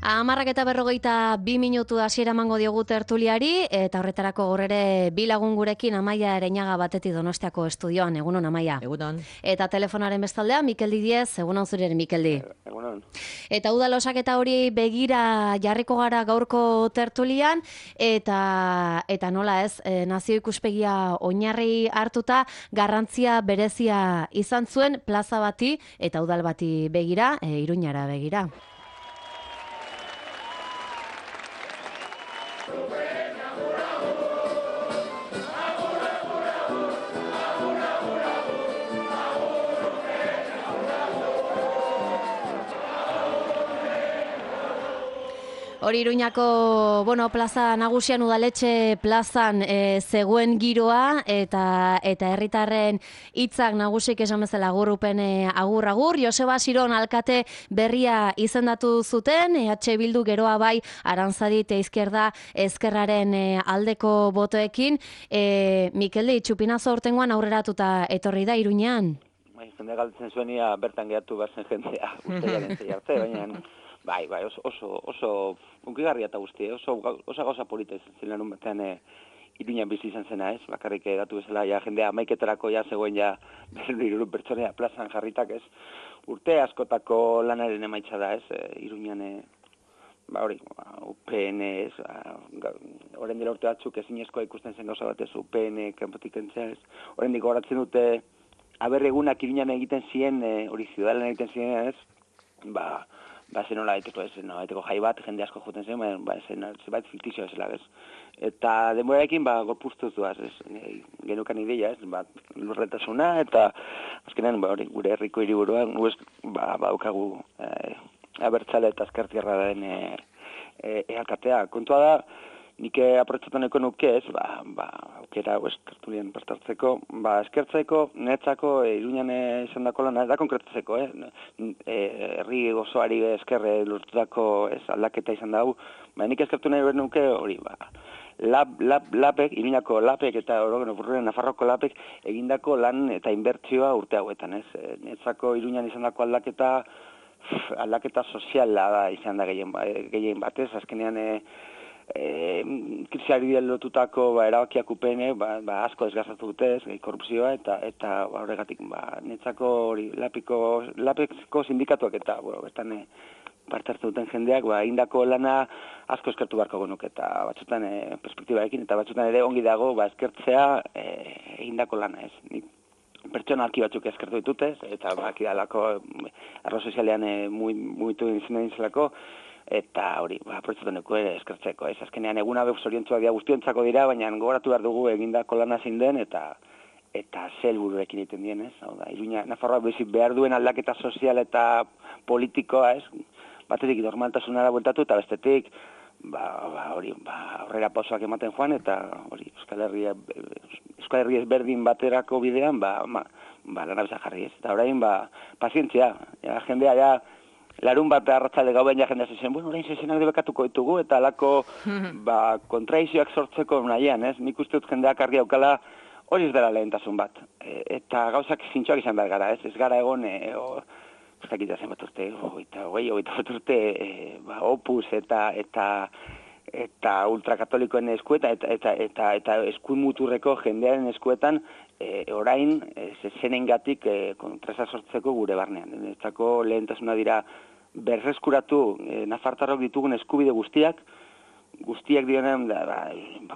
10:42 hasiera emango diogu tertuliari, eta horretarako gaur ere bi lagun gurekin Amaia Ereñaga batetik Donostiako estudioan. Egunon, Amaia. Egunon. Eta telefonaren bestaldea, Mikeldi Diez. Egunon zure, Mikeldi. Egunon. Eta udal osaketa hori begira jarriko gara gaurko tertulian, eta nola ez, nazio ikuspegia oinarri hartuta, garrantzia berezia izan zuen plaza bati eta udal bati begira, Iruñara begira. Hori Iruñako, plaza nagusian, udaletxe plazan zegoen giroa eta herritarren hitzak nagusik esan bezala agur-upen agur-agur. Joseba Siron alkate berria izendatu zuten, EH Bildu geroa bai Aranzadit Izquierda Ezkerraren aldeko botoekin. Mikeldi, txupinazo hortengoan aurreratuta etorri da Iruñean? Jende galtzen zuenia bertan gehatu bazen jendea, usteiaren zei arte, baina... Bai, oso unkigarria eta guzti, oso gauza polita izan zen larun batean Iruñan bizi izan zena, ez? Bakarrik datu bezala, jendea amaiketarako zegoen berriro pertsonea plazan jarritak, ez? Urte askotako lanaren emaitza da, ez? Iruñan, UPN, ez? Horren dela urte batzuk ezinezkoa ikusten zen gauza batez, UPN, kanpotik entzea, ez? Horren diko horatzen dute, aberregunak Iruñan egiten ziren, hori ziudalen egiten ziren, ez? Zenola baiteko jai bat, jende asko joten zen, zebait fiktizioa zela, ez. Eta denborarekin, gorpuztuz duaz, ez, genukan ideia, ez, lurretasuna, eta azkenean, gure herriko hiriburuan, daukagu abertzale eta ezkertierra den alkatea. Kontua da, nik aprotxatan eko nuke ez, aukera tertulien partartzeko, eskertzeko, netzako, Iruñan izan dako lan, da konkretatzeko, herri gozoari eskerre lortutako aldaketa izan dago, nik eskertu nahi behar nuke hori, lapek, Iruñako lapek eta Nafarroko lapek egindako lan eta inbertsioa urte hauetan, ez, netzako Iruñan izan dako aldaketa soziala da izan da gehien batez, azkenean krisiari lotutako erabakiak upene, asko desgastatu dute, korrupzioa eta horregatik netzako hori lapeko sindikatuak eta bertan parte hartu duten jendeak egindako lana asko eskertu beharko genuke eta batzutan perspektibarekin eta batzutan ere ongi dago eskertzea egindako lana, ez. Nik pertsonalki batzuk eskertu ditutez eta akidalako arlo sozialean mugitu izan zelako. Eta hori, aprotxatan eko ere eskertzeko, ez? Azkenean eguna zoriontzuak dira guztiontzako dira, baina gogoratu behar dugu egindako lana zein den eta helburuekin egiten dien, ez? Hau da, Iruña, Nafarroa bezik behar duen aldaketa sozial eta politikoa, ez? Batetik normaltasunara bueltatu eta bestetik, aurrera pausoak ematen joan eta hori, Euskal Herri ezberdin baterako bidean, lana bezak jarri, ez? Eta orain, pazientzia, jendea, larun bat arratzalde gau behin jendea zezen, orain zezenak debekatuko ditugu, eta alako kontraizioak sortzeko nahian, ez? Nik uste dut jendeak argi aukala hori ez dela lehentasun bat. Eta gauzak zintxoak izan behar gara, ez? Ez gara egon, ustakita zen bat urte, hogeita bat urte, opus eta ultrakatolikoen eskuetan, eta eskuin muturreko jendearen eskuetan, orain zezenengatik kontrasa sortzeko gure barnean. Ezako lehentasuna dira berreskuratu nafartarrok ditugun eskubide guztiak dionen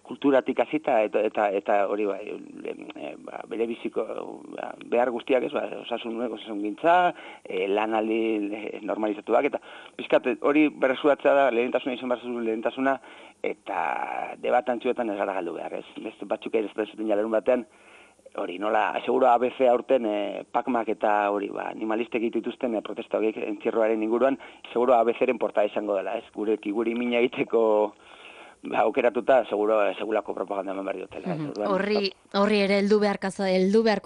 kulturatik hasita eta hori bere biziko behar guztiak ez, osasun gintza, lanaldi normalizatuak eta pizkat hori berreskuratzea da lehentasuna izan behar lehentasuna eta debatantzuetan ez gara galdu behar, ez. Beste batzuk ere ez duten jalerun batean, hori, nola, seguro ABC aurten Pacmak eta hori, animalistek dituzten protesta horiek entzierroaren inguruan, seguro ABC-ren portada izango dela, ez? Guri mina egiteko aukeratuta segulako propaganda eman behar diotela. Horri ere heldu beharko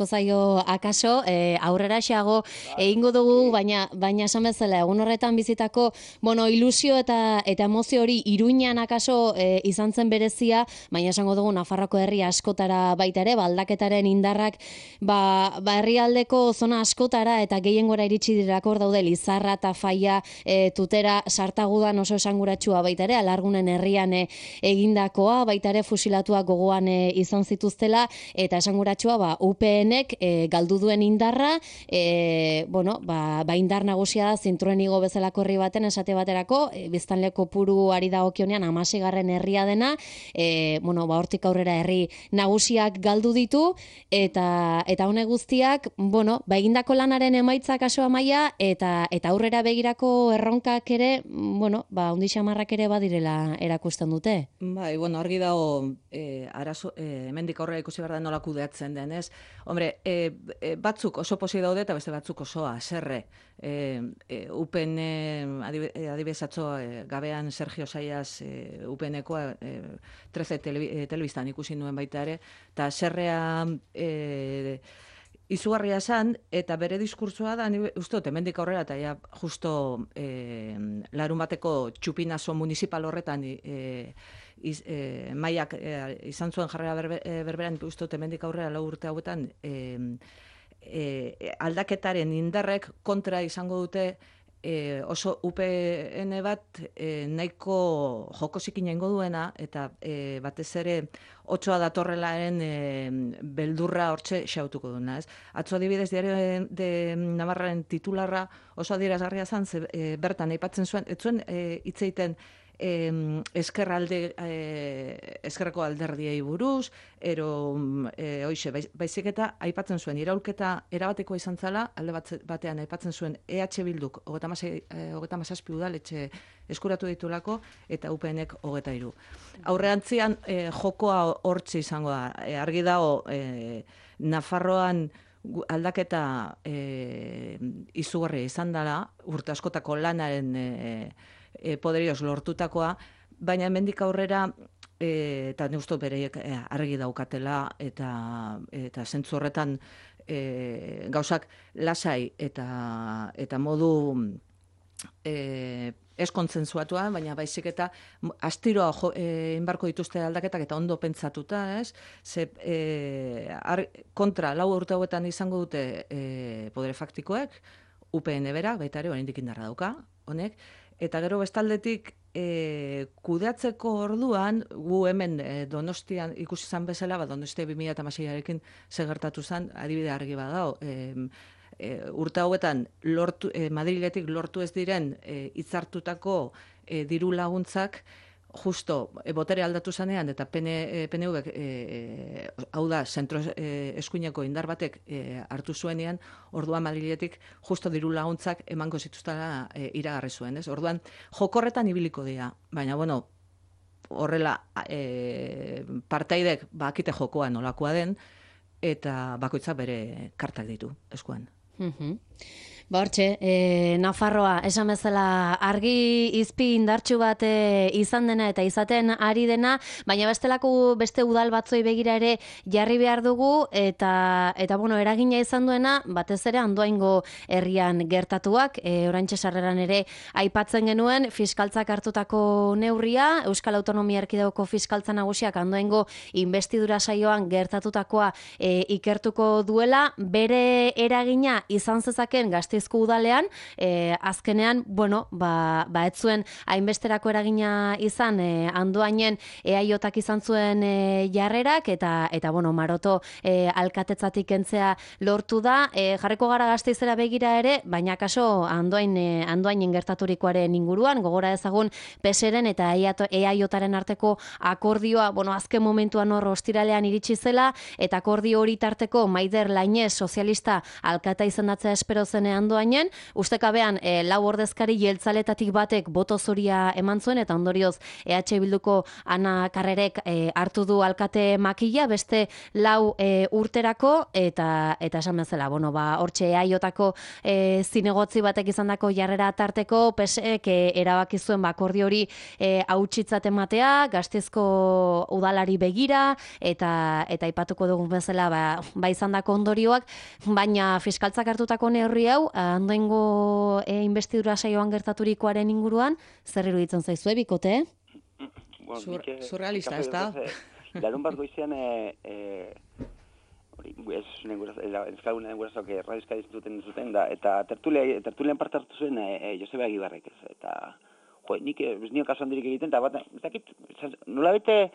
zaio akaso, aurrera xago egingo dugu, baina esan bezala egun horretan bizitako, ilusio eta emozio hori Iruñan akaso izan zen berezia, baina esango dugu Nafarroako herri askotara baita ere, aldaketaren indarrak herrialdeko zona askotara eta gehiengora iritsi direlako daude Lizarra eta Faia, Tutera, Sartagudan oso esanguratsua baita ere, Alargunen herrian egindakoa, baita ere fusilatuak gogoan izan zituztela, eta esanguratsua UPNek galdu duen indarra, indar nagusia da Zintruen igo bezalako herri baten esate baterako, biztanle kopuruari dagokionean 16. herria dena, hortik aurrera herri nagusiak galdu ditu, eta honek guztiak, egindako lanaren emaitzak kaso Amaia, eta aurrera begirako erronkak ere, ondi xamarrak ere badirela erakusten dute. Bai, argi dago, hemendik aurrera ikusi behar da nola kudeatzen den, ez? Hombre, batzuk oso posi daude eta beste batzuk oso haserre. UPN, adibidez atzo, gabean Sergio Saias UPNekoa 13 telebistan ikusi nuen baita ere, eta haserrea izugarria esan, eta bere diskursoa da, uste dut, hemendik aurrera, eta ja justo larun bateko txupinazo municipal horretan maiak izan zuen jarrera berberan, uste dut, hemendik aurrera 4 urte hauetan, aldaketaren indarrek kontra izango dute oso UPN bat nahiko jokosikin egingo duena, eta batez ere otsoa datorrelaren beldurra hortxe xautuko duena. Atzo adibidez Diario de Navarraren titularra oso adierazgarria zen, bertan aipatzen zuen, ez zuen hitz egiten eskerreko alderdiei buruz, baizik eta aipatzen zuen, iraulketa erabatekoa izan zela, alde batean aipatzen zuen EH Bilduk 37 udaletxe eskuratu ditulako, eta UPNek 23. Aurreantzian jokoa hortxe izango da, argi dago Nafarroan aldaketa izugarria izan dela, urte askotako lanaren poderioz lortutakoa, baina hemendik aurrera, eta neusto bereiek argi daukatela, eta zentzu horretan gauzak lasai eta modu ez kontzentzuatua, baina baizik eta astiroa inbarko dituzte aldaketak eta ondo pentsatuta, ez? Kontra 4 urte hauetan izango dute podere faktikoek, UPN bera, baita ere, oraindik indarra dauka, honek, eta gero bestaldetik kudeatzeko orduan, gu hemen Donostian ikusi zan bezala, Donostia 2016arekin segertatu zen, adibide argi badao, urte hauetan Madriletik lortu ez diren hitzartutako diru laguntzak, justo botere aldatu zanean, eta PNV, hau da, zentro eskuineko indar batek hartu zuenean, orduan Madriletik justo diru laguntzak emango zituztela iragarri zuen, ez? Orduan, jokorretan ibiliko dira, baina, horrela, partaidek bakite jokoa nolakoa den, eta bakoitzak bere kartak ditu, eskuan. Hortxe, Nafarroa, esan bezala argi izpi indartsu bat izan dena eta izaten ari dena, baina beste udal batzoi begira ere jarri behar dugu, eta eragina izan duena, batez ere Andoaingo herrian gertatuak, oraintxe sarreran ere aipatzen genuen, fiskaltzak hartutako neurria, Euskal Autonomia Erkidegoko fiskaltza nagusiak Andoaingo investidura saioan gertatutakoa ikertuko duela, bere eragina izan zezaken Gasteizko udalean, azkenean, ez zuen hainbesterako eragina izan Andoainen EAJak izan zuen jarrerak, eta Maroto alkatetzatik kentzea lortu da, jarriko gara Gasteizera begira ere, baina kaso Andoainen gertaturikoaren inguruan, gogora ezagun PSren eta EAJaren arteko akordioa, azken momentuan hor ostiralean iritsi zela, eta akordio hori tarteko Maider Lainez sozialista alkata izendatzea espero zenean Andoainen, ustekabean lau ordezkari jeltzaletatik batek boto zoria eman zuen, eta ondorioz EH Bilduko Ana Karrerek hartu du alkate makila, beste lau urterako, eta esan bezala, bueno, hortxe eaiotako zinegotzi batek izandako jarrera tarteko, PSek erabaki zuen akordio hori hautsitzat ematea, Gasteizko udalari begira, eta aipatuko dugun bezala izandako ondorioak, baina fiskaltzak hartutako neurri hau, Andoaingo investidura saioan gertaturikoaren inguruan, zer iruditzen zaizue, bikote? Surrealista, ez da? Larun bat goizean, ezkagunen gurasoak radioskadi zuten da, eta tertulian parte hartu zuen Joseba Egibarrek, ez, eta nik ez nio kasu handirik egiten, eta bat, ez dakit, nola bete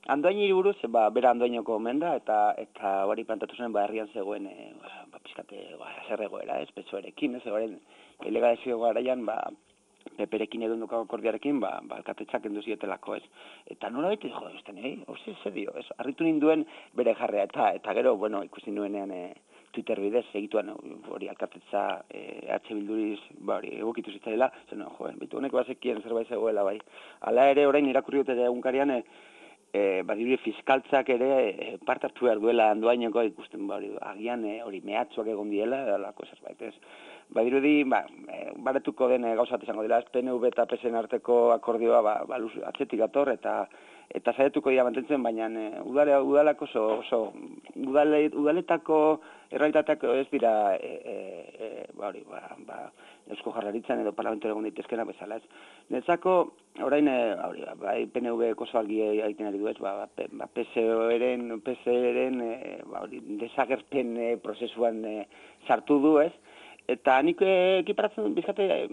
Andoainiri buruz, bera Andoainoko omen da, eta hori plantatu zuen, herrian zegoen, pizkate, zer egoera, ez, PSOErekin, ez, egoaren, ilegalizio garaian, peperekin edo dukako akordiarekin, alkatetzak enduzietelako, ez. Eta nola bete, hori zer dio, ez, arritu ninduen bere jarrea, eta gero, bueno, ikusi nuenean Twitter bidez, egituan hori alkatetza EH Bilduriz, hori egokitu zitzaila, zen, bitu honek bazekien zerbait zegoela, bai. Hala ere, orain irakurri dute egunkarian, badirudi fiskaltzak ere parte hartu behar duela Andoaineko ikusten, agian hori mehatxuak egon diela, alako zerbait, ez. Badirudi, baretuko den gauzat izango dela, PNV eta PSen arteko akordioa atzetik ator, eta zaretuko dira mantentzen, baina udalako udaletako errealitateak ez dira Eusko Jaurlaritzan edo parlamentoan egon daitezkena bezala, ez. Netzako, orain, PNV oso argi egiten ari du, ez, PSeren desagerpen prozesuan sartu du, ez. Eta nik ekiparatzen bizkate,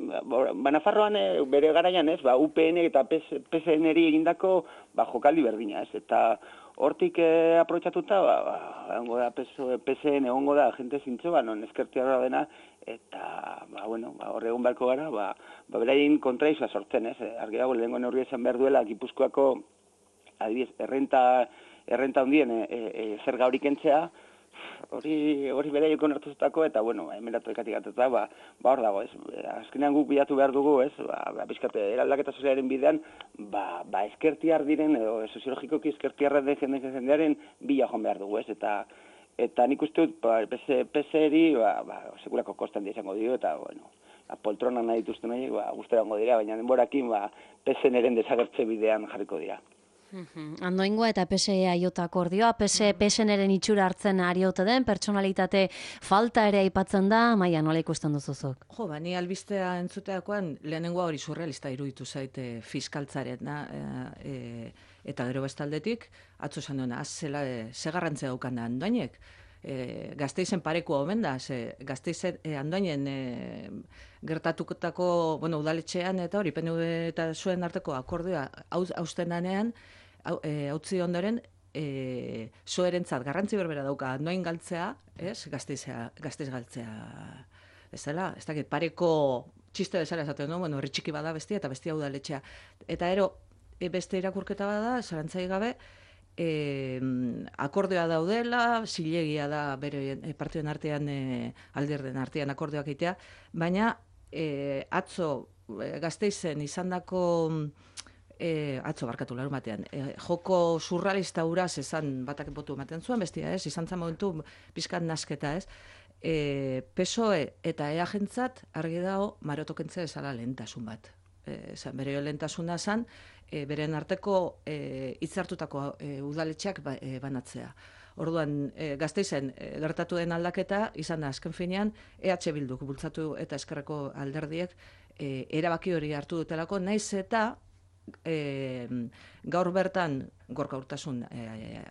Nafarroan bere garaian, ez, UPN eta PSN-eri egindako jokaldi berdina, ez. Eta hortik aprobetxatuta, PSN egongo da, jente zintzo, non ezkertiarra dena, eta, hor egon beharko gara, beraien kontraizua sortzen, ez. Argi dago, lehenko neurri esan behar duela, Gipuzkoako, adibidez, errenta handien zerga hori kentzea, hori beraieko nartuzutako, eta, emeratu ekatik gatuta, hor dago, ez. Azkenean guk bilatu behar dugu, ez, bizkate, eraldaketa sozialaren bidean, ezkertiar diren, edo soziologikoki ezkertiarra den jendearen bila joan behar dugu, ez, eta nik uste dut, PSeri, sekulako kostan izango dio, eta, poltronan nahi dituzten horiek, guztera ongo dira, baina denborakin, PSNren desagertze bidean jarriko dira. Andoaingoa eta PSE aiota akordioa, PSNren itxura hartzen ari ote den, pertsonalitate falta ere aipatzen da, Maia, nola ikusten duzuzuk? Ni albistea entzuteakoan, lehenengoa hori surrealista iruditu zaite fiskaltzaren, eta gero bestaldetik, atzo esan duena, zela, ze garrantzia daukan da Andoainek, Gasteizen parekoa omen da, Gasteizen Andoainen gertatutako, udaletxean eta hori, PNV eta zuen arteko akordioa hausten danean, hautzi ondoren, zoerentzat garrantzi berbera dauka Andoain galtzea, Gasteiz galtzea, ez dela, ez dakit, pareko txiste bezala esaten du, herri txiki bada bestia eta bestia udaletxea. Eta beste irakurketa bada, zarantzai gabe, akordioa daudela, zilegia da bere partioen artean, alderden artean akordioak egitea, baina atzo Gasteizen izandako atzo barkatu larun batean, joko surrealista uraz esan batak botu ematen zuen, bestia, izan zan momentu pizkat nasketa, PSOE eta EAjentzat argi dago marotokentze esala lehentasun bat. Bere lehentasuna zan, beren arteko hitzartutako udaletxeak banatzea. Orduan, Gasteizen gertatu den aldaketa, izan da azken finean, EH Bilduk bultzatu eta eskerreko alderdiek erabaki hori hartu dutelako, naiz eta gaur bertan, Gorka Urtasun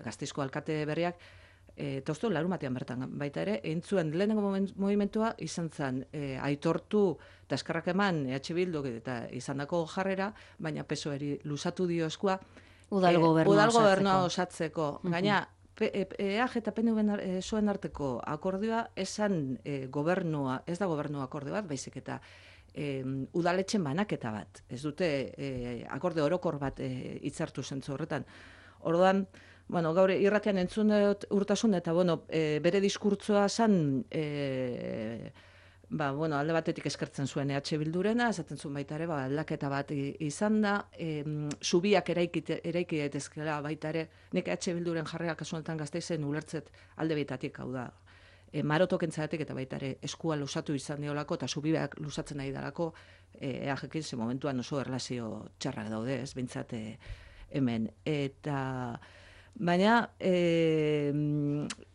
Gasteizko alkate berriak, eta uste larun batean bertan baita ere, entzuen lehenengo movimentua izan zen aitortu eta eskerrak eman EH Bilduk eta izandako jarrera, baina PSOEri luzatu dio eskua Udal gobernua osatzeko. Gaina, EAJ eta PNV zuen arteko akordioa esan gobernua, ez da gobernua akorde bat, baizik eta udaletxen banaketa bat. Ez dute akorde orokor bat hitzartu zentzu horretan. Orduan, gaur irratian entzun dut Urtasun eta bere diskurtsoa zan bueno, alde batetik eskertzen zuen EH Bildurena, esaten zuen baita ere, aldaketa bat izan da, zubiak eraiki daitezkeela baita ere, nik EH Bilduren jarrera kasu honetan Gasteizen ulertzet alde bitatik, hau da, maroto kentzatik eta baita ere eskua lusatu izan diolako, eta zubiak lusatzen nahi dalako, EAJekin ze momentuan oso erlazio txarrak daude, ez, bintzat hemen. Eta baina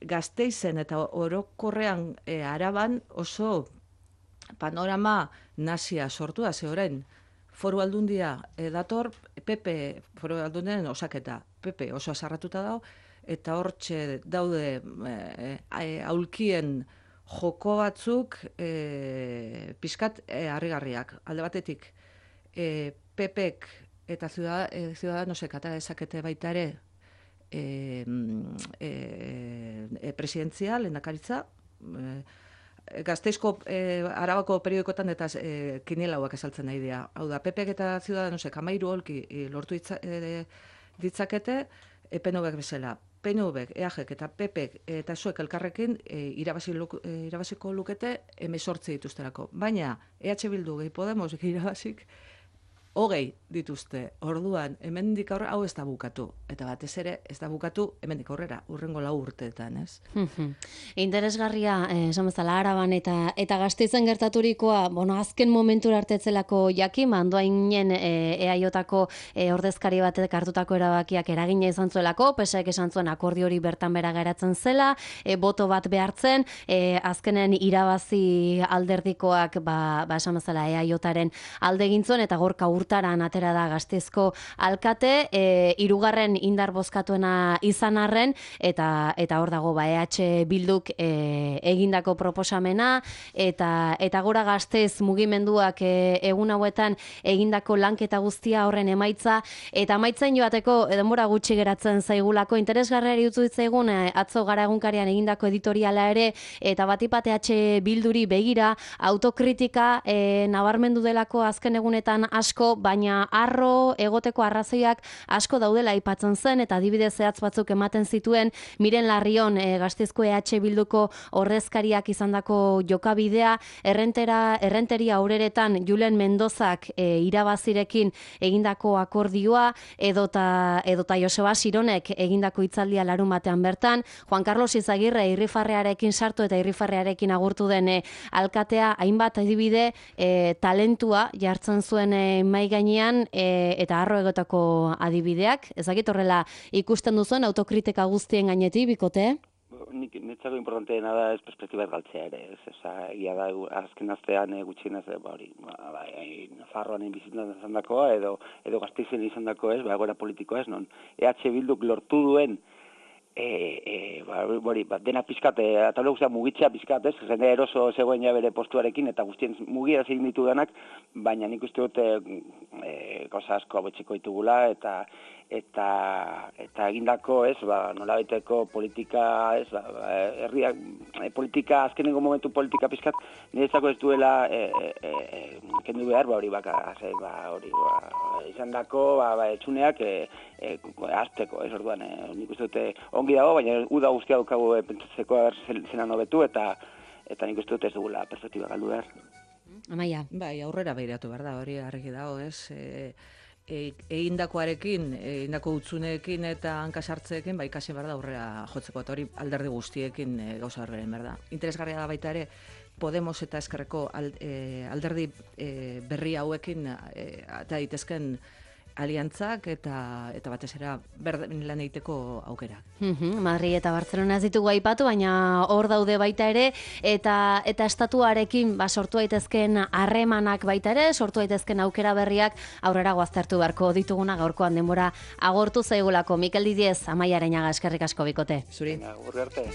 Gasteizen eta orokorrean Araban oso panorama nasia sortu da, ze orain foru aldundia dator, PP foru aldundiaren osaketa, PP oso azarratuta dago, eta hortxe daude aulkien joko batzuk pixkat harrigarriak. Alde batetik, PPek eta Ciudadanosek atera dezakete baita ere presidentzia, lehendakaritza, Gasteizko Arabako periodikoetan eta kiniela hauak esaltzen nahi dira. Hau da, PPek eta Ciudadanosek 13 holki lortu ditzakete, PNVek bezala. PNVek, EAJek eta PPek eta zuek elkarrekin irabaziko lukete 18 dituzterako. Baina, EH Bildu gehi Podemos irabazik 20 dituzte. Orduan, hemendik aurrera hau ez da bukatu. Eta batez ere ez da bukatu hemendik aurrera, urrengo 4 urteetan, ez? Interesgarria, esan bezala Araban eta Gasteizen gertaturikoa, azken momentura artetzelako jakin, andoainen EAJko ordezkari batek hartutako erabakiak eragina izan zuelako, PSek esan zuen akordio hori bertan bera geratzen zela, boto bat behartzen, azkenen irabazi alderdikoak, esan bezala EAJaren alde egin zuen, eta gorka urtaran atera da Gasteizko alkate, hirugarren indar bozkatuena izan arren, eta hor dago EH Bilduk egindako proposamena, eta gora Gasteiz mugimenduak egun hauetan egindako lanketa guztia horren emaitza, eta amaitzain joateko denbora gutxi geratzen zaigulako, interesgarriari utzu ditzaigun atzo Gara egunkarian egindako editoriala ere, eta batipat EH Bilduri begira, autokritika nabarmendu delako azken egunetan asko, baina arro egoteko arrazoiak asko daudela aipatzen zen, eta adibide zehatz batzuk ematen zituen Miren Larrion Gasteizko EH Bilduko ordezkariak izandako jokabidea, errenteria aureretan Julen Mendozak irabazirekin egindako akordioa, edota Joseba Sironek egindako hitzaldia larun batean bertan, Juan Carlos Izagirre irrifarrearekin sartu eta irrifarrearekin agurtu den alkatea, hainbat adibide talentua jartzen zuen mai gainean, eta harro egotako adibideak. Ezakit horrela ikusten duzuen autokritika guztien gainetik, bikote? Nitzako importanteena da ez perspektiba galtzea ere, egia da azken astean gutxienez Nafarroan bizitzen izan dakoa, edo Gasteizen izan dako ez, egoera politikoa ez, non EH Bilduk lortu duen dena pizkat, eta guztia mugitzea pizkat, ez? Jende eroso zegoen ja bere postuarekin, eta guztien mugira zein ditu denak, baina nik uste dut gauza asko abetxeko ditugula, eta egindako, ez, nolabaiteko politika, ez, herriak, politika, azkenengo momentu politika pizkat, niretzako ez duela kendu behar, izan dako, etxuneak azteko, ez orduan, nik uste dute ongi dago, baina uda guztia dukagu pentsatzeko zenan hobetu, eta nik uste dute ez dugula perspektiba galdu behar. Amaia. Bai, aurrera behiratu behar da, hori argi dago, ez? Egindakoarekin, egindako utzuneekin eta hankasartzeekin, ikasi behar da aurrera jotzeko, eta hori alderdi guztiekin gauza berberen behar da. Interesgarria da baita ere, Podemos eta Ezkerreko alderdi berri hauekin eta daitezken aliantzak eta batez ere berdin lan egiteko aukera. Madrid eta Barcelona ez ditugu aipatu, baina hor daude baita ere, eta estatuarekin sortu daitezken harremanak baita ere, sortu daitezken aukera berriak aurrera goaztertu beharko dituguna gaurkoan denbora agortu zaigulako. Mikel Didiez, Amaia Areñaga, eskerrik asko bikote. Zuri. Urri arte.